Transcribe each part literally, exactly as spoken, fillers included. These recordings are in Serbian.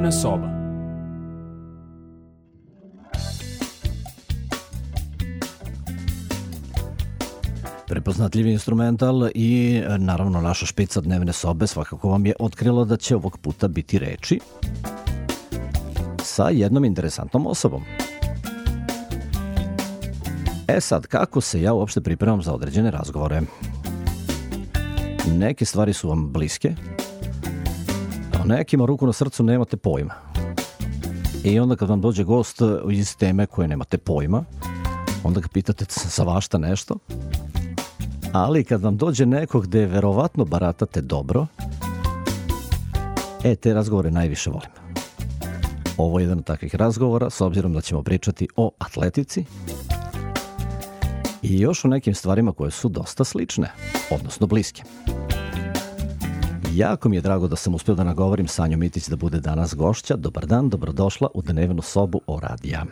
Dnevna soba. Prepoznatljivi instrumental i naravno naša špica dnevne sobe svakako vam je otkrilo da će ovog puta biti reči sa jednom interesantnom osobom. E sad, kako se ja uopšte pripremam za određene razgovore? Neke stvari su vam bliske, a o nekima ruku na srcu nemate pojma. I onda kad vam dođe gost iz teme koje nemate pojma, onda ga pitate za vašta nešto, ali kad vam dođe neko gde verovatno baratate dobro, e, te razgovore najviše volim. Ovo je jedan od takvih razgovora, s obzirom da ćemo pričati o atletici i još o nekim stvarima koje su dosta slične, odnosno bliske. Jako mi je drago da sam uspio da nagovorim Sanju Mitić da bude danas gošća. Dobar dan, dobrodošla u dnevnu sobu O-radija.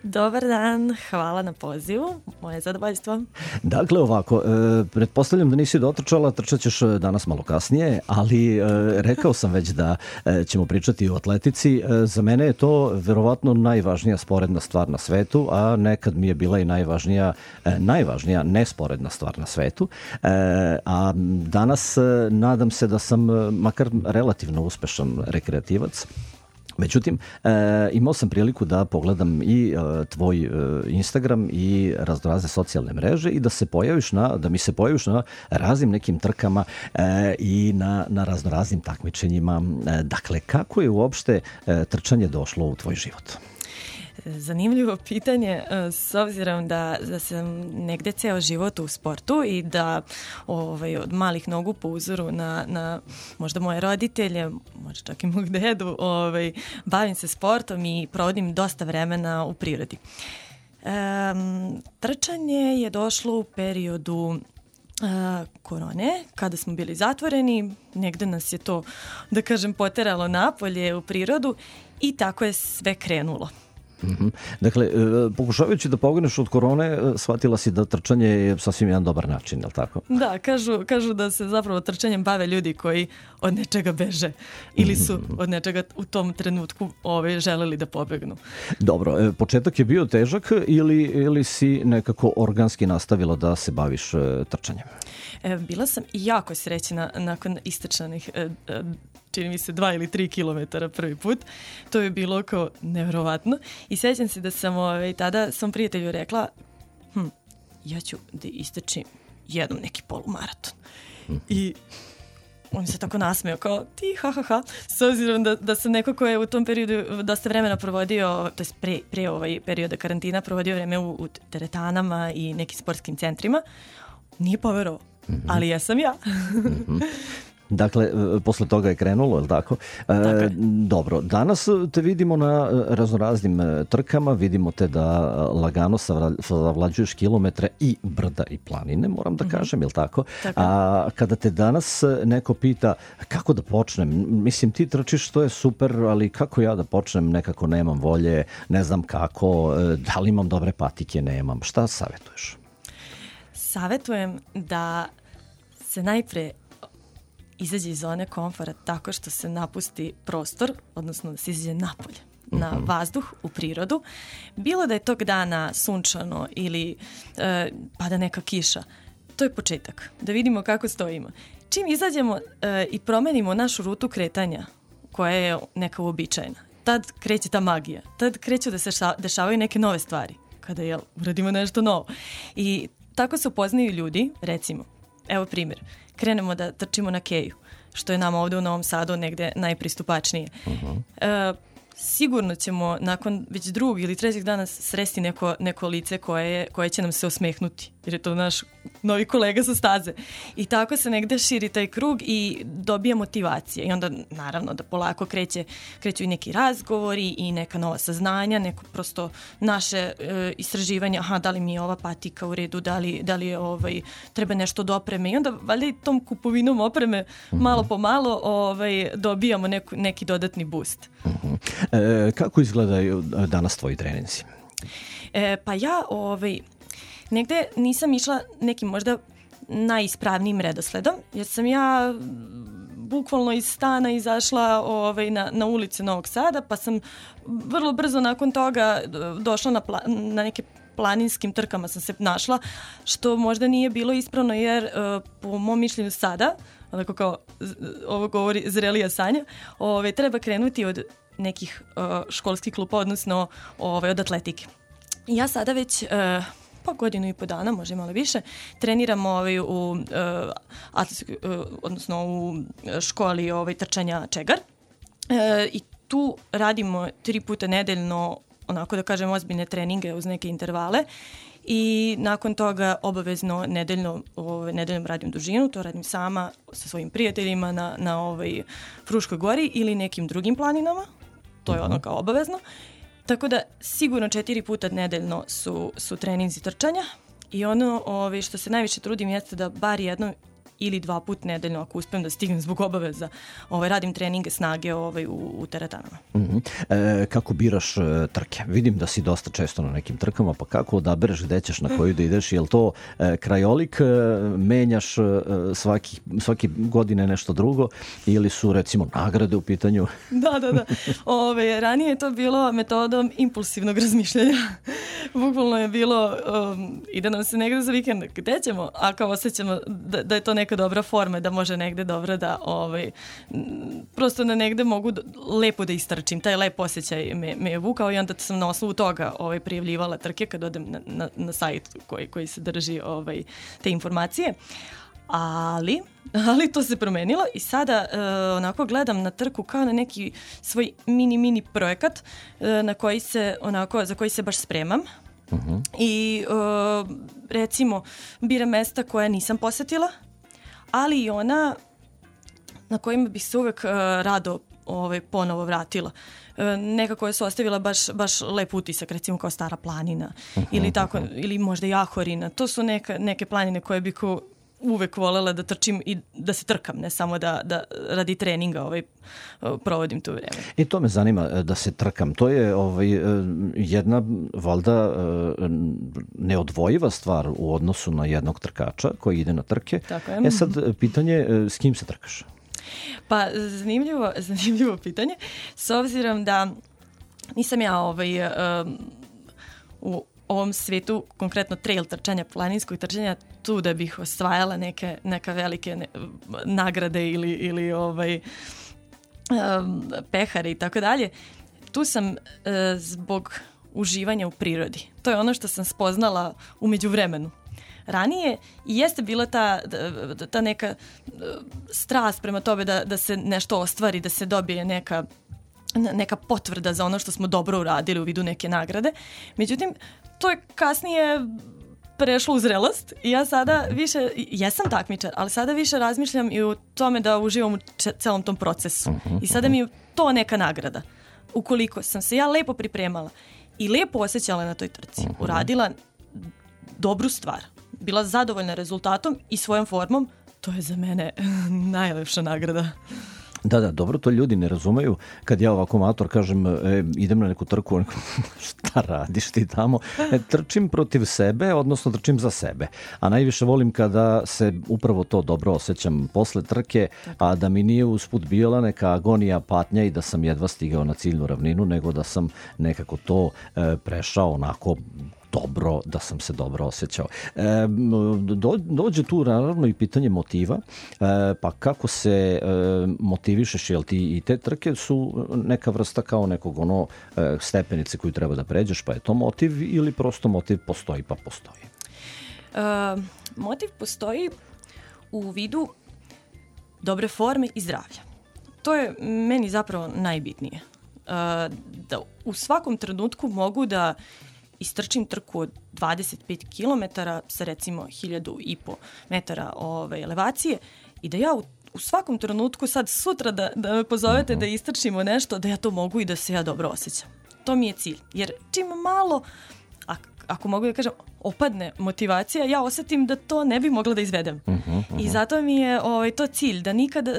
Dobar dan, hvala na pozivu, moje zadovoljstvo. Dakle, ovako, e, pretpostavljam da nisi dotrčala, trčat ćeš danas malo kasnije, ali e, rekao sam već da e, ćemo pričati o atletici. E, za mene je to verovatno najvažnija sporedna stvar na svetu, a nekad mi je bila i najvažnija, e, najvažnija nesporedna stvar na svetu. E, a danas e, nadam se da sam makar relativno uspešan rekreativac. Međutim, e, imao sam priliku da pogledam i e, tvoj e, Instagram i raznorazne socijalne mreže i da se pojaviš na, da mi se pojaviš na raznim nekim trkama e, i na, na raznoraznim takmičenjima. E, dakle, kako je uopšte e, trčanje došlo u tvoj život? Zanimljivo pitanje, s obzirom da, da sam negde ceo život u sportu i da ovaj, od malih nogu po uzoru na, na možda moje roditelje, možda čak i mog dedu, ovaj, bavim se sportom i provodim dosta vremena u prirodi. Um, trčanje je došlo u periodu uh, korone, kada smo bili zatvoreni, negde nas je to, da kažem, poteralo napolje u prirodu i tako je sve krenulo. Mm-hmm. Dakle, pokušavajući da pogneš od korone, shvatila si da trčanje je sasvim jedan dobar način, je li tako? Da, kažu, kažu da se zapravo trčanjem bave ljudi koji od nečega beže ili su od nečega u tom trenutku ove, želeli da pobegnu. Dobro, početak je bio težak ili, ili si nekako organski nastavila da se baviš trčanjem? E, bila sam jako srećna nakon istrčanih e, e, čini mi se dva ili tri kilometara prvi put. To je bilo kao nevjerovatno. I sjećam se da sam ovaj, tada svom prijatelju rekla hm, ja ću da istrčim jednom neki polumaraton. I on se tako nasmeo kao ti ha ha ha. S obzirom da, da sam neko ko je u tom periodu dosta vremena provodio, to je pre, pre ovaj perioda karantina, provodio vreme u, u teretanama i nekim sportskim centrima. Nije poverovao, mm-hmm. ali ja sam ja. Mm-hmm. Dakle, posle toga je krenulo, je li tako? E, dobro, danas te vidimo na raznoraznim trkama, vidimo te da lagano savlađuješ kilometre i brda i planine, moram da kažem, je li tako? Tako. A kada te danas neko pita kako da počnem, mislim ti trčiš, to je super, ali kako ja da počnem, nekako nemam volje, ne znam kako, da li imam dobre patike, nemam, šta savjetuješ? Savetujem da se najpre izađe iz zone komfora tako što se napusti prostor, odnosno da se izađe napolje, uh-huh. na vazduh, u prirodu. Bilo da je tog dana sunčano ili e, pada neka kiša, to je početak. Da vidimo kako stojimo. Čim izađemo e, i promenimo našu rutu kretanja, koja je neka uobičajena, tad kreće ta magija. Tad kreću da se ša, dešavaju neke nove stvari. Kada jel, uradimo nešto novo. I tako se upoznaju ljudi, recimo, evo primjer, krenemo da trčimo na keju, što je nama ovde u Novom Sadu negde najpristupačnije. Uh-huh. E, sigurno ćemo nakon već drugog ili trećeg dana sresti neko, neko lice koje, koje će nam se osmehnuti, jer je to naš novi kolega sa staze. I tako se negde širi taj krug i dobija motivacije. I onda naravno da polako kreće, kreću i neki razgovori i neka nova saznanja, neko prosto naše e, istraživanje, aha, da li mi je ova patika u redu, da li, da li je ovaj, treba nešto od opreme. I onda valjda i tom kupovinom opreme malo po malo ovaj, dobijamo neku, neki dodatni boost. Uh-huh. E, kako izgledaju danas tvoji treninzi? E, pa ja ovaj, negde nisam išla nekim možda najispravnijim redosledom, jer sam ja bukvalno iz stana izašla ovaj, na, na ulice Novog Sada, pa sam vrlo brzo nakon toga došla na, pla, na neke planinskim trkama sam se našla, što možda nije bilo ispravno jer uh, po mom mišljenju sada, onako kao ovo govori zrelija Sanja, ove, treba krenuti od nekih uh, školskih klupa, odnosno ove, od atletike. Ja sada već uh, pa godinu i po dana, možda malo više, treniram ovaj, u, uh, atletskoj, uh, odnosno u školi ovaj, trčanja Čegar uh, i tu radimo tri puta nedeljno, onako da kažem, ozbiljne treninge uz neke intervale i nakon toga obavezno nedeljno, ovaj, nedeljom radim dužinu, to radim sama sa svojim prijateljima na, na ovaj Fruškoj gori ili nekim drugim planinama, to je ono kao obavezno. Tako da sigurno četiri puta nedeljno su, su treninzi trčanja i ono ovaj, što se najviše trudim jeste da bar jednom ili dva put nedeljno, ako uspijem da stignem zbog obaveza, ovaj, radim treninge snage ovaj, u, u teretanama. Mm-hmm. E, kako biraš e, trke? Vidim da si dosta često na nekim trkama, pa kako odabereš gde ćeš, na koju da ideš? Je li to e, krajolik, e, menjaš e, svaki, svaki godine nešto drugo ili su recimo nagrade u pitanju? Da, da, da. Ove, ranije je to bilo metodom impulsivnog razmišljanja. Bukvalno je bilo um, ide nam se negde za vikend, gde ćemo? A kao osjećamo da, da je to neka dobra forma, da može negde dobro da ovaj, prosto da negde mogu da, lepo da istrčim. Taj lep osjećaj me, me je vukao i onda sam na osnovu toga ovaj, prijavljivala trke kad odem na, na, na sajt koji, koji se drži ovaj, te informacije. Ali, ali to se promenilo i sada uh, onako gledam na trku kao na neki svoj mini, mini projekat uh, na koji se, onako, za koji se baš spremam. Uh-huh. I uh, recimo biram mesta koja nisam posetila, ali i ona na kojima bih se uvek uh, rado ovaj, ponovo vratila. Uh, nekako je se ostavila baš, baš lep utisak, recimo kao Stara planina uh-huh, ili, tako, uh-huh. ili možda Jahorina. To su neka, neke planine koje bih ko uvek volela da trčim i da se trkam, ne samo da, da radi treninga ovaj, provodim to vreme. I to me zanima, da se trkam. To je ovaj, jedna, valjda, neodvojiva stvar u odnosu na jednog trkača koji ide na trke. Tako je. E sad, pitanje, s kim se trkaš? Pa, zanimljivo, zanimljivo pitanje. S obzirom da nisam ja ovaj, um, u ovom svetu, konkretno trail trčanja, planinskog trčanja, tu da bih osvajala neke, neka velike ne, nagrade ili, ili ovaj, um, pehare i tako dalje. Tu sam uh, zbog uživanja u prirodi. To je ono što sam spoznala u međuvremenu. Ranije i jeste bila ta, ta neka strast prema tome da, da se nešto ostvari, da se dobije neka neka potvrda za ono što smo dobro uradili u vidu neke nagrade. Međutim, to je kasnije prešlo u zrelost i ja sada više, jesam takmičar, ali sada više razmišljam i u tome da uživam u če, celom tom procesu. I sada mi je to neka nagrada. Ukoliko sam se ja lepo pripremala i lepo osjećala na toj trci, uradila dobru stvar, bila zadovoljna rezultatom i svojom formom, to je za mene najlepša nagrada. Da, da, dobro, to ljudi ne razumeju. Kad ja ovako amator kažem, e, idem na neku trku, šta radiš ti tamo? E, trčim protiv sebe, odnosno trčim za sebe. A najviše volim kada se upravo to dobro osjećam posle trke, a da mi nije usput bila neka agonija, patnja i da sam jedva stigao na ciljnu ravninu, nego da sam nekako to e, prešao onako dobro, da sam se dobro osjećao. E, do, dođe tu naravno i pitanje motiva, e, pa kako se e, motivišeš, jel ti i te trke su neka vrsta kao nekog ono e, stepenice koju treba da pređeš, pa je to motiv ili prosto motiv postoji pa postoji? E, motiv postoji u vidu dobre forme i zdravlja. To je meni zapravo najbitnije. E, da u svakom trenutku mogu da istrčim trku od dvadeset pet kilometara sa recimo hiljadu i po metara ove, elevacije i da ja u, u svakom trenutku sad sutra da, da me pozovete uh-huh. da istrčimo nešto, da ja to mogu i da se ja dobro osjećam. To mi je cilj. Jer čim malo, ak, ako mogu da kažem, opadne motivacija, ja osetim da to ne bi mogla da izvedem. Uh-huh, uh-huh. I zato mi je ovaj, to cilj, da nikad, e,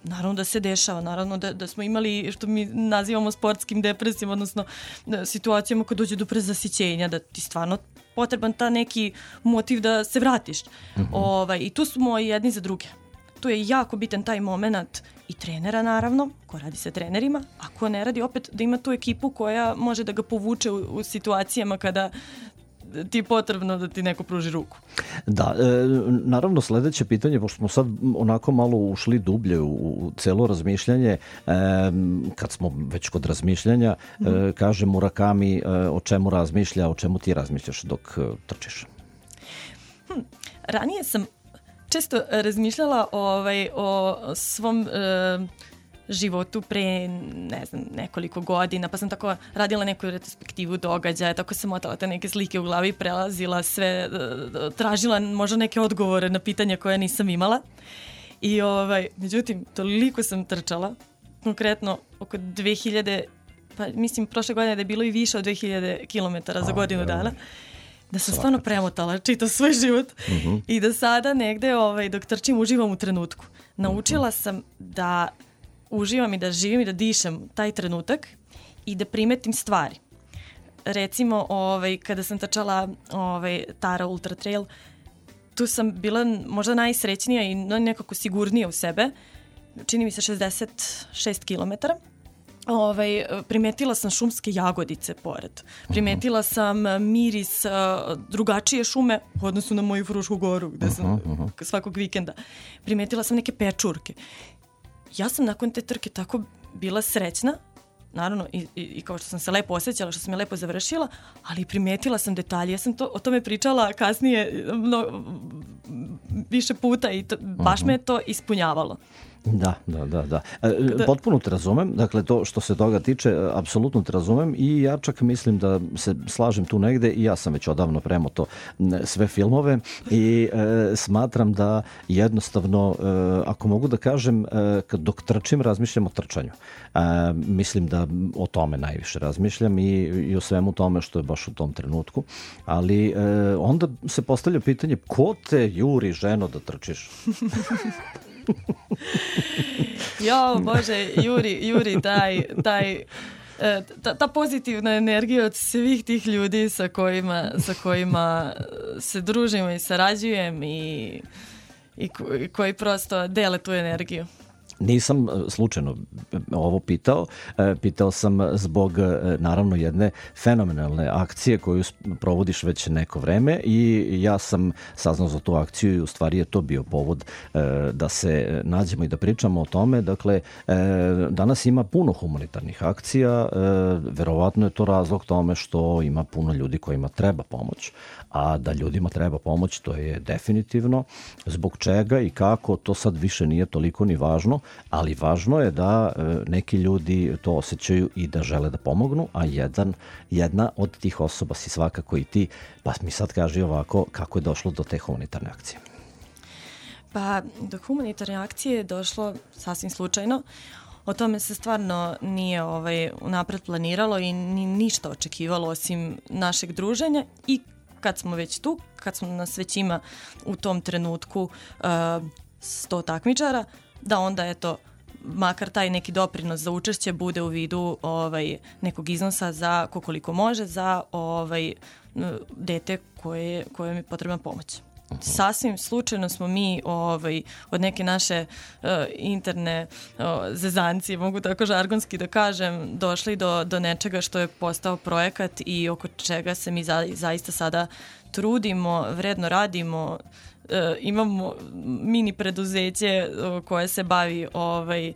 naravno da se dešava, naravno da, da smo imali, što mi nazivamo sportskim depresijama, odnosno da, situacijama kad dođe do prezasićenja, da ti stvarno potreban ta neki motiv da se vratiš. Uh-huh. Ovaj, I tu smo jedni za druge. tu je jako bitan taj moment i trenera naravno, ko radi sa trenerima, a ko ne radi opet da ima tu ekipu koja može da ga povuče u, u situacijama kada ti je potrebno da ti neko pruži ruku. Da, e, naravno sledeće pitanje, pošto smo sad onako malo ušli dublje u, u celo razmišljanje, e, kad smo već kod razmišljanja, mm. e, kaže Murakami e, o čemu razmišlja, o čemu ti razmišljaš dok e, trčiš? Hm, ranije sam često razmišljala ovaj, o svom e, životu pre, ne znam, nekoliko godina, pa sam tako radila neku retrospektivu događaja, tako sam motala te neke slike u glavi, prelazila sve, tražila možda neke odgovore na pitanja koje nisam imala. I ovaj, međutim, toliko sam trčala, konkretno oko dve hiljade, pa mislim prošle godine da je bilo i više od dve hiljade kilometara za godinu dana, da sam stvarno premotala čitav svoj život uh-huh. i da sada negde ovaj, dok trčim uživam u trenutku. Naučila sam da uživam i da živim i da dišem taj trenutak i da primetim stvari. Recimo, ovaj, kada sam trčala ovaj, Tara Ultra Trail, tu sam bila možda najsrećnija i nekako sigurnija u sebe. Čini mi se šezdeset šest kilometara. Ovaj, primetila sam šumske jagodice pored. Primetila sam miris uh, drugačije šume u odnosu na moju Frušku goru gde sam uh-huh, uh-huh. svakog vikenda. Primetila sam neke pečurke. Ja sam nakon te trke tako bila srećna, naravno i, i, i kao što sam se lepo osjećala, što sam je lepo završila, ali primetila sam detalje. Ja sam to, o tome pričala kasnije no, više puta i to, baš uh-huh. me to ispunjavalo. Da, da, da, da. E, potpuno te razumem, dakle to što se toga tiče, apsolutno te razumem i ja čak mislim da se slažem tu negde i ja sam već odavno premoto sve filmove i e, smatram da jednostavno, e, ako mogu da kažem, e, kad dok trčim razmišljam o trčanju. E, mislim da o tome najviše razmišljam i, i o svemu tome što je baš u tom trenutku, ali e, onda se postavlja pitanje ko te juri, ženo, da trčiš? Jo, Bože, Juri, Juri, taj, taj, ta, ta pozitivna energija od svih tih ljudi sa kojima, sa kojima se družimo i sarađujem i, i koji prosto dele tu energiju. Nisam slučajno ovo pitao, pitao sam zbog naravno jedne fenomenalne akcije koju provodiš već neko vreme i ja sam saznao za tu akciju i u stvari je to bio povod da se nađemo i da pričamo o tome. Dakle, danas ima puno humanitarnih akcija, verovatno je to razlog tome što ima puno ljudi kojima treba pomoć, a da ljudima treba pomoć to je definitivno. Zbog čega i kako, to sad više nije toliko ni važno, ali važno je da neki ljudi to osjećaju i da žele da pomognu, a jedan, jedna od tih osoba si svakako i ti, pa mi sad kaži ovako kako je došlo do te humanitarne akcije. Pa do humanitarne akcije je došlo sasvim slučajno. O tome se stvarno nije ovaj, unapred planiralo i ni, ništa očekivalo osim našeg druženja i kad smo već tu, kad smo nas već ima u tom trenutku uh, sto takmičara, da onda eto, makar taj neki doprinos za učešće bude u vidu ovaj, nekog iznosa za koliko može za ovaj, dete koje, koje je potrebna pomoć. Sasvim slučajno smo mi ovaj, od neke naše uh, interne uh, zezancije, mogu tako žargonski da kažem, došli do, do nečega što je postao projekat i oko čega se mi za, zaista sada trudimo, vredno radimo. Uh, imamo mini preduzeće uh, koje se bavi ovaj, uh,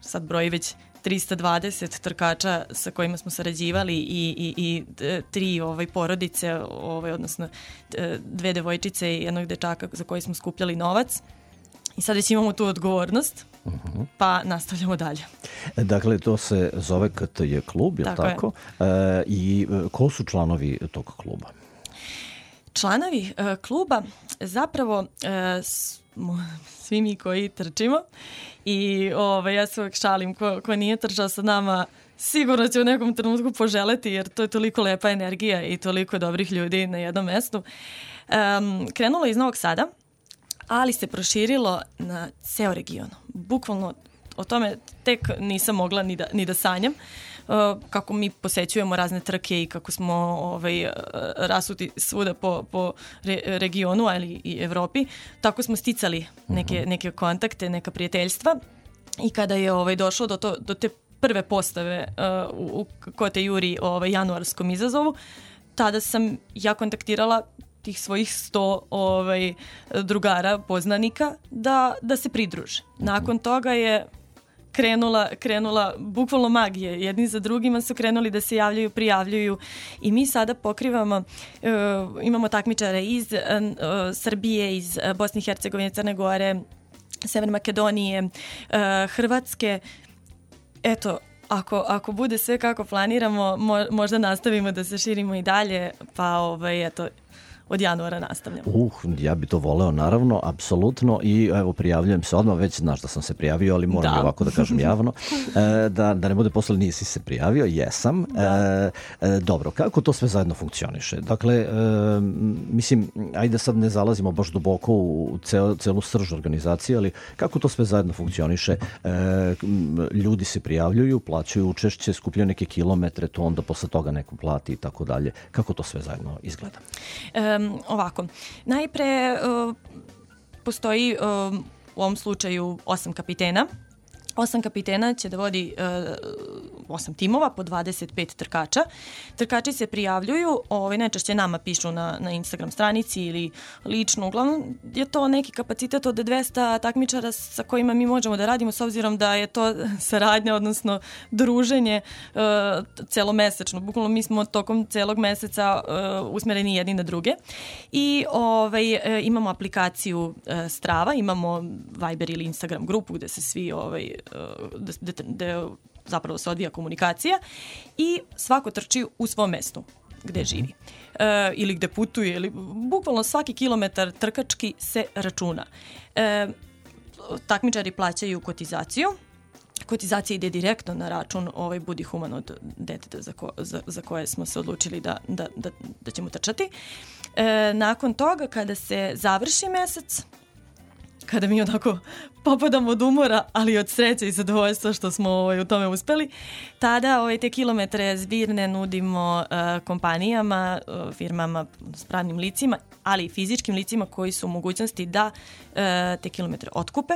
sad broji već trista dvadeset trkača sa kojima smo sarađivali i, i, i tri ovaj, porodice, ovaj, odnosno dve devojčice i jednog dečaka za koji smo skupljali novac. I sad već imamo tu odgovornost, uh-huh. pa nastavljamo dalje. Dakle, to se zove K T J klub, je li tako? tako? E, I ko su članovi tog kluba? Članovi e, kluba zapravo e, svi mi koji trčimo i ovaj, ja se uvek šalim ko, ko nije trčao sa nama sigurno će u nekom trenutku poželeti jer to je toliko lepa energija i toliko dobrih ljudi na jednom mestu. Um, krenulo iz Novog Sada, ali se proširilo na ceo region. Bukvalno o tome tek nisam mogla ni da, ni da sanjam. kako mi posećujemo razne trke i kako smo ovaj, rasuti svuda po, po re, regionu, ali i Evropi, tako smo sticali neke, neke kontakte, neka prijateljstva i kada je ovaj, došlo do, to, do te prve postave uh, u, u Kote Juri ovaj, januarskom izazovu, tada sam ja kontaktirala tih svojih sto ovaj, drugara, poznanika, da, da se pridruže. Nakon toga je krenula, krenula bukvalno magije. Jedni za drugima su krenuli da se javljaju, prijavljuju i mi sada pokrivamo, uh, imamo takmičare iz uh, Srbije, iz uh, Bosne i Hercegovine, Crne Gore, Severne Makedonije, uh, Hrvatske. Eto, ako, ako bude sve kako planiramo, mo, možda nastavimo da se širimo i dalje, pa ovaj, eto, od januara nastavljamo. Uh, ja bi to voleo, naravno, apsolutno, i evo, prijavljujem se odmah, već znaš da sam se prijavio, ali moram da. ovako da kažem javno, e, da, da ne bude posle nisi se prijavio, jesam. Da. E, e, dobro, kako to sve zajedno funkcioniše? Dakle, e, mislim, ajde sad ne zalazimo baš duboko u cel, celu srž organizacije, ali kako to sve zajedno funkcioniše? E, ljudi se prijavljuju, plaćaju učešće, skupljaju neke kilometre, to onda posle toga neko plati i tako dalje. Kako to sve zajedno izgleda? E, Ovako, najpre uh, postoji uh, u ovom slučaju osam kapitena. Osam kapitena će da vodi uh, osam timova po dvadeset pet trkača. Trkači se prijavljuju, ovaj, najčešće nama pišu na, na Instagram stranici ili lično. Uglavnom je to neki kapacitet od dvesta takmičara sa kojima mi možemo da radimo, s obzirom da je to saradnja, odnosno druženje uh, celomesečno. Bukvalno mi smo tokom celog meseca uh, usmereni jedni na druge. I ovaj, uh, imamo aplikaciju uh, Strava, imamo Viber ili Instagram grupu gde se svi ovaj, da, da, da zapravo se odvija komunikacija i svako trči u svom mestu gde živi e, ili gde putuje, ili bukvalno svaki kilometar trkački se računa. E, takmičari plaćaju kotizaciju. Kotizacija ide direktno na račun ovaj Budi human od deteta za, ko, za, za koje smo se odlučili da, da, da, da ćemo trčati. E, nakon toga, kada se završi mesec, kada mi onako popadamo od umora, ali od sreće i zadovoljstva što smo ovaj, u tome uspeli, tada ovaj, te kilometre zbirne nudimo uh, kompanijama, uh, firmama s pravnim licima, ali i fizičkim licima koji su u mogućnosti da uh, te kilometre otkupe.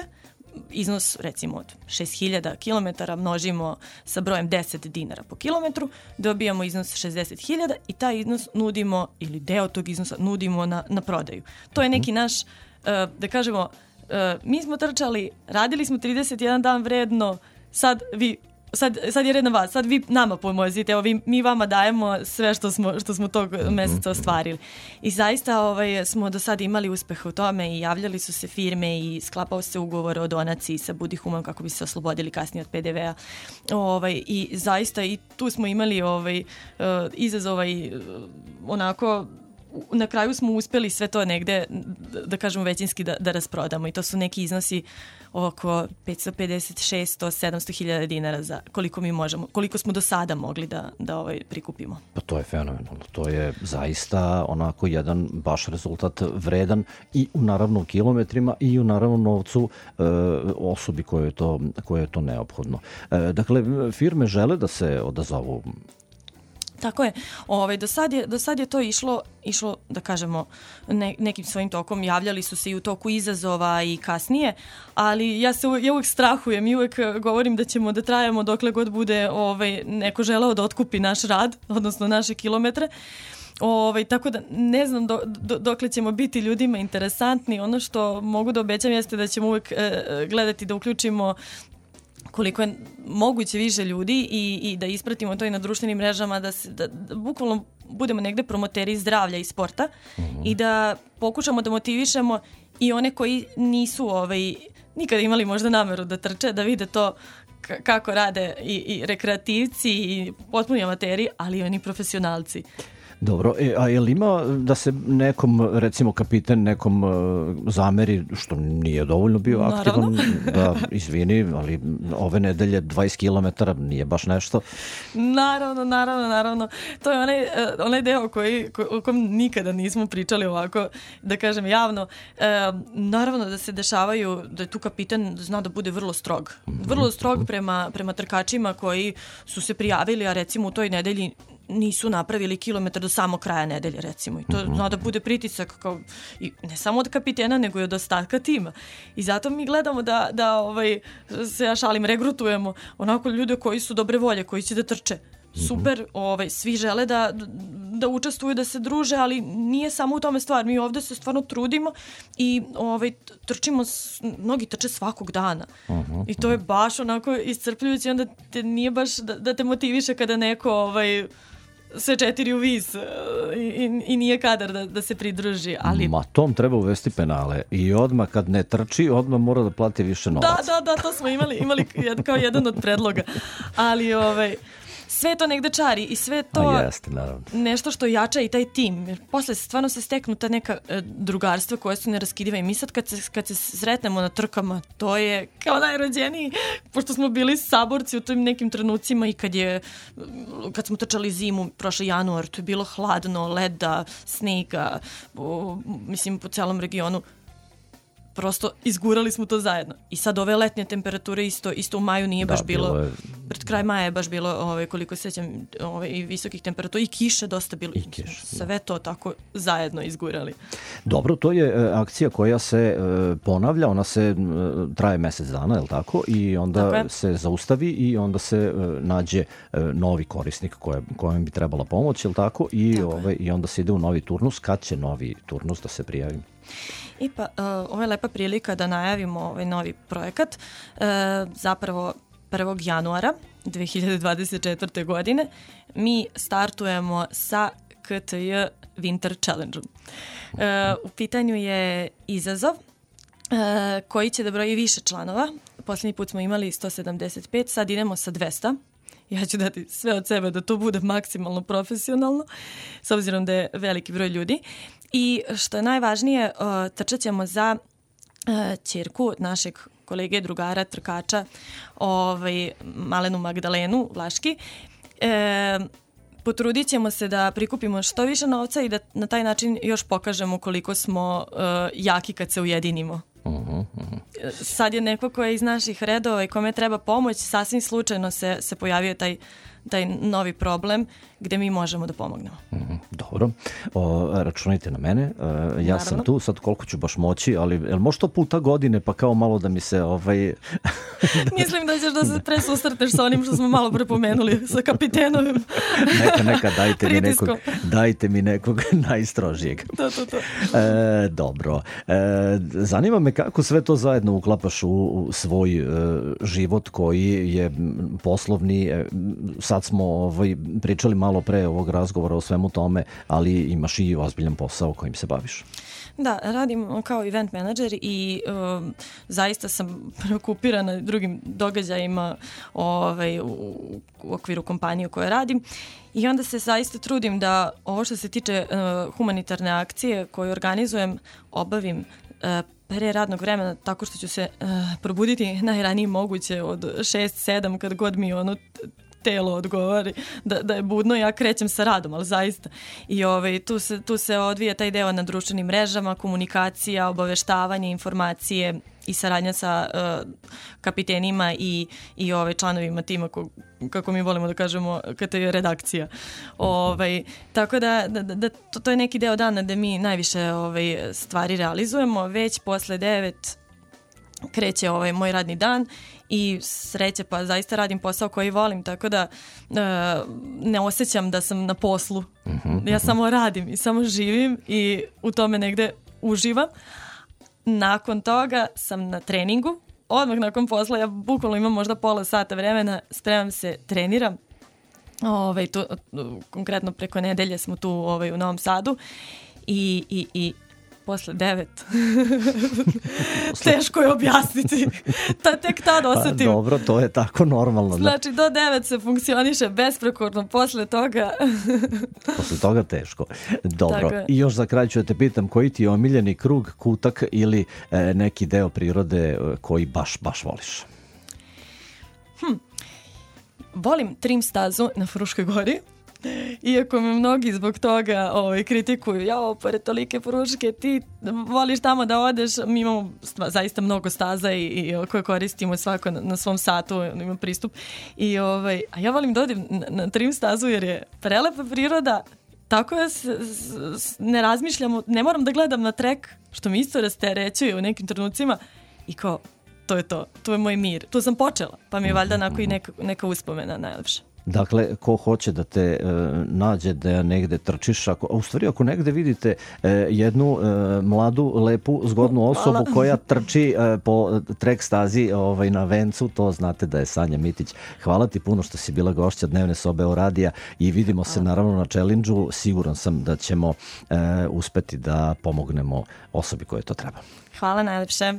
Iznos recimo od šest hiljada kilometara množimo sa brojem deset dinara po kilometru, dobijamo iznos šezdeset hiljada i taj iznos nudimo, ili deo tog iznosa nudimo na, na prodaju. To je neki naš, uh, da kažemo, Uh, mi smo trčali, radili smo trideset jedan dan vredno, sad vi sad, sad je red na vas, sad vi nama pomozite, evo vi, mi vama dajemo sve što smo, što smo tog meseca ostvarili. I zaista ovaj, smo do sada imali uspeh u tome i javljali su se firme i sklapao se ugovor o donaciji sa Budi human kako bi se oslobodili kasnije od pe de vea. Ovaj, I zaista i tu smo imali ovaj, uh, izazova i uh, onako na kraju smo uspeli sve to negde, da kažemo većinski, da, da rasprodamo i to su neki iznosi oko petsto pedeset, šesto, sedamsto hiljada dinara za koliko mi možemo, koliko smo do sada mogli da, da ovaj prikupimo. Pa to je fenomenalno, to je zaista onako jedan baš rezultat vredan i u naravno u kilometrima i u naravno novcu e, osobi koje je to, koje je to neophodno. E, dakle, firme žele da se odazovu. Tako je. Ovaj, do, sad je, do sad je to išlo, išlo da kažemo, ne, nekim svojim tokom. Javljali su se i u toku izazova i kasnije, ali ja se ja uvek strahujem i uvek govorim da ćemo da trajamo dokle god bude ovaj, neko želeo da otkupi naš rad, odnosno naše kilometre. Ovaj, tako da ne znam do, do, dokle ćemo biti ljudima interesantni. Ono što mogu da obećam jeste da ćemo uvek e, gledati da uključimo koliko je moguće više ljudi i, i da ispratimo to i na društvenim mrežama, da, se, da, da bukvalno budemo negde promoteri zdravlja i sporta mm-hmm. i da pokušamo da motivišemo i one koji nisu ovaj, nikada imali možda nameru da trče, da vide to k- kako rade i, i rekreativci i potpuni amateri, ali i oni profesionalci. Dobro, e, a je li ima da se nekom, recimo kapiten, nekom uh, zameri, što nije dovoljno bio aktivan, da izvini, ali ove nedelje dvadeset kilometara nije baš nešto? Naravno, naravno, naravno. To je onaj, onaj deo koji, ko, o kom nikada nismo pričali ovako, da kažem javno. E, naravno da se dešavaju, da je tu kapiten zna da bude vrlo strog. Vrlo strog prema, prema trkačima koji su se prijavili, a recimo u toj nedelji nisu napravili kilometar do samog kraja nedelje, recimo. I to mm-hmm. zna da bude pritisak kao, i ne samo od kapitena, nego i od ostatka tima. I zato mi gledamo da, da ovaj, se ja šalim, regrutujemo onako ljude koji su dobre volje, koji će da trče. Super, ovaj, svi žele da, da učestvuju, da se druže, ali nije samo u tome stvar. Mi ovde se stvarno trudimo i ovaj, trčimo, mnogi trče svakog dana. Uh-huh. I to je baš onako iscrpljujuće, onda te nije baš da, da te motiviše kada neko ovaj, sve četiri u vis i, i, i nije kadar da, da se pridruži. Ali... Ma tom treba uvesti penale i odmah kad ne trči, odmah mora da plati više novaca. Da, da, da, to smo imali, imali kao jedan od predloga. Ali ovaj... sve to negde čari i sve to jeste, nešto što jača i taj tim. Jer posle stvarno se steknu ta neka e, drugarstva koje su neraskidive i mi sad kad se, kad se sretnemo na trkama, to je kao najrođeniji, pošto smo bili saborci u tim nekim trenucima i kad je kad smo trčali zimu, prošli januar, to je bilo hladno, leda, snega, o, mislim po celom regionu. Prosto izgurali smo to zajedno. I sad ove letnje temperature isto, isto u maju nije da, baš bilo, bilo je... pred kraj maja je baš bilo, ovaj, koliko sećam, ovaj, i visokih temperatura i kiše dosta bilo. I kiš, sve to tako zajedno izgurali. Dobro, to je e, akcija koja se e, ponavlja, ona se e, traje mesec dana, je li tako? I onda tako se zaustavi i onda se e, nađe e, novi korisnik koje, kojem bi trebala pomoć, je li tako? I, tako ove, I onda se ide u novi turnus. Kad će novi turnus da se prijavi? I pa, uh, ovo je lepa prilika da najavimo ovaj novi projekat. Uh, zapravo prvog januara dve hiljade dvadeset četvrte. godine mi startujemo sa K T J Winter Challenge-om. Uh, u pitanju je izazov uh, koji će da broji više članova. Posljednji put smo imali sto sedamdeset pet, sad idemo sa dvesta. Ja ću dati sve od sebe da to bude maksimalno profesionalno, s obzirom da je veliki broj ljudi. I što je najvažnije, uh, trčat ćemo za uh, ćerku našeg kolege, drugara, trkača, ovaj, Malenu Magdalenu Vlaški. E, potrudit ćemo se da prikupimo što više novca i da na taj način još pokažemo koliko smo uh, jaki kad se ujedinimo. Uh-huh, uh-huh. Sad je neko ko je iz naših redova i kome treba pomoć, sasvim slučajno se, se pojavio taj, taj novi problem gde mi možemo da pomognemo. Mm, dobro. O, računajte na mene. E, ja Naravno. sam tu, sad koliko ću baš moći, ali jel može to puta godine pa kao malo da mi se... ovaj Mislim da ćeš da se presusretneš sa onim što smo malo prepomenuli, sa kapitenovim neka, neka, dajte mi nekog, dajte mi nekog najstrožijeg. To, to, to. E, dobro. E, zanima me kako sve to zajedno uklapaš u, u svoj e, život koji je poslovni. E, sad smo ovaj, pričali malo pre ovog razgovora o svemu tome, ali imaš i ozbiljan posao kojim se baviš. Da, radim kao event menadžer i um, zaista sam preokupirana drugim događajima ovaj, u, u okviru kompanije u kojoj radim i onda se zaista trudim da ovo što se tiče uh, humanitarne akcije koju organizujem obavim uh, pre radnog vremena tako što ću se uh, probuditi najranije moguće od šest sedam kad god mi ono telo odgovori da, da je budno, ja krećem sa radom, ali zaista. I ovaj, tu, se, tu se odvija taj deo na društvenim mrežama, komunikacija, obaveštavanje, informacije i saradnja sa uh, kapitenima i, i ovaj, članovima tima, ko, kako mi volimo da kažemo, kada je redakcija. Ovaj, tako da, da, da to, to je neki deo dana da mi najviše ovaj, stvari realizujemo. Već posle devet kreće ovaj moj radni dan i sreće pa zaista radim posao koji volim, tako da uh, ne osjećam da sam na poslu. Uh-huh, ja uh-huh. samo radim i samo živim i u tome negde uživam. Nakon toga sam na treningu. Odmah nakon posla ja bukvalno imam možda pola sata vremena, spremam se, treniram. Ovaj, tu, konkretno preko nedelje smo tu ovaj, u Novom Sadu i, i, i posle devet. Teško je objasniti. Ta, tek tad osetim. Pa, dobro, to je tako normalno. Znači, do devet se funkcioniše besprekorno, posle toga... posle toga teško. Dobro. I još za kraj ću da te pitam, koji ti je omiljeni krug, kutak ili e, neki deo prirode koji baš, baš voliš? Hm. Volim trim stazu na Fruškoj gori. Iako me mnogi zbog toga ovaj, kritikuju, jao, pored tolike Fruške, ti voliš tamo da odeš, mi imamo stva, zaista mnogo staza i, i koje koristimo svako na, na svom satu, ima pristup. I, ovaj, a ja volim da odim na, na trim stazu jer je prelepa priroda, tako ja s, s, ne razmišljam, ne moram da gledam na trek, što mi isto rasterećuje u nekim trenucima i kao, to je to, to je moj mir. Tu sam počela, pa mi je valjda onako i neka, neka uspomena najlepša. Dakle, ko hoće da te e, nađe da negde trčiš, ako, u stvari ako negde vidite e, jednu e, mladu, lepu, zgodnu osobu Hvala. koja trči e, po trek stazi ovaj, na vencu, to znate da je Sanja Mitić. Hvala ti puno što si bila gošća Dnevne sobe Euradija i vidimo se naravno na challenge-u. Siguran sam da ćemo e, uspeti da pomognemo osobi kojoj to treba. Hvala najlepše.